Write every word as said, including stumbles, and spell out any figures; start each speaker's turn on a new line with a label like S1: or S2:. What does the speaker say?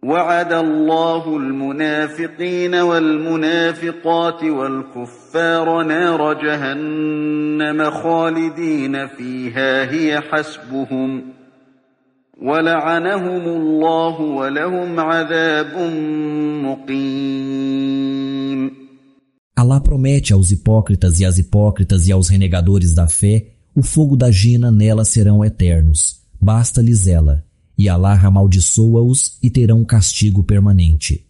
S1: وعد الله المنافقين والمنافقات والكفار نار جهنم خالدين فيها هي حسبهم ولعنهم الله ولهم عذاب مقيم.
S2: Allah promete aos hipócritas e às hipócritas e aos renegadores da fé o fogo da jina, nela serão eternos, basta-lhes ela, e Allah amaldiçoa-os e terão castigo permanente.